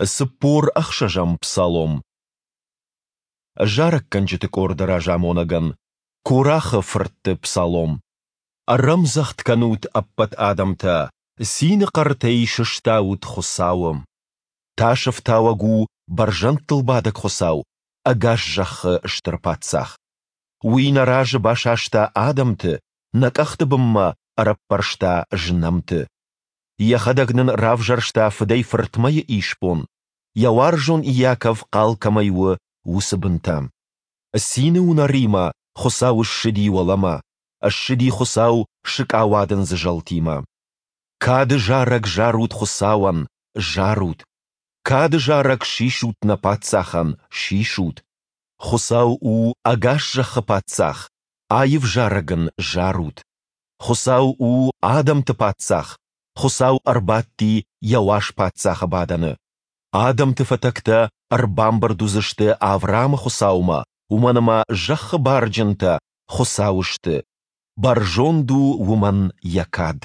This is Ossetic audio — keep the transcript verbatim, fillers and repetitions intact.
Цыппор ӕхсӕзӕм псалом. Зарӕггӕнджыты къорды разамонӕгӕн. Корахы фыртты псалом. Ӕрӕмдзӕгъд кӕнут ӕппӕт адӕмтӕ, цины хъӕртӕй сыстаут Хуыцауы. Тасӕфтауӕг у бӕрзӕндтыл бадӕг Хуыцау, ӕгас зӕххы стыр Паддзах. Уый нӕ разы басаста адӕмты, нӕ къӕхты бынмӕ ӕрӕппӕрста знӕмты. Йӕхӕдӕг нын равзӕрста фыдӕй-фыртмӕйы исбон, Йӕ уарзон Иаков хъал кӕмӕй у, уыцы бынтӕ. Цины уынӕримӕ Хуыцау ссыди уӕлӕмӕ, ссыди Хуыцау сыкъауадындзы зӕлтимӕ. Кады зарӕг зарут Хуыцауӕн, зарут! Кады зарӕг сисут нӕ Паддзахӕн, сисут! Хуыцау у ӕгас зӕххы Паддзах, аив зарӕг Ын зарут! Хуыцау у адӕмты Паддзах, Хуыцау ӕрбадти Йӕ уаз паддзахы бадӕны. Адӕмты фӕтӕгтӕ ӕрбамбырд уыдзысты Авраамы Хуыцаумӕ, уымӕн ӕмӕ зӕххы барджынтӕ Хуыцауы сты, бӕрзонд у уымӕн йӕ кад.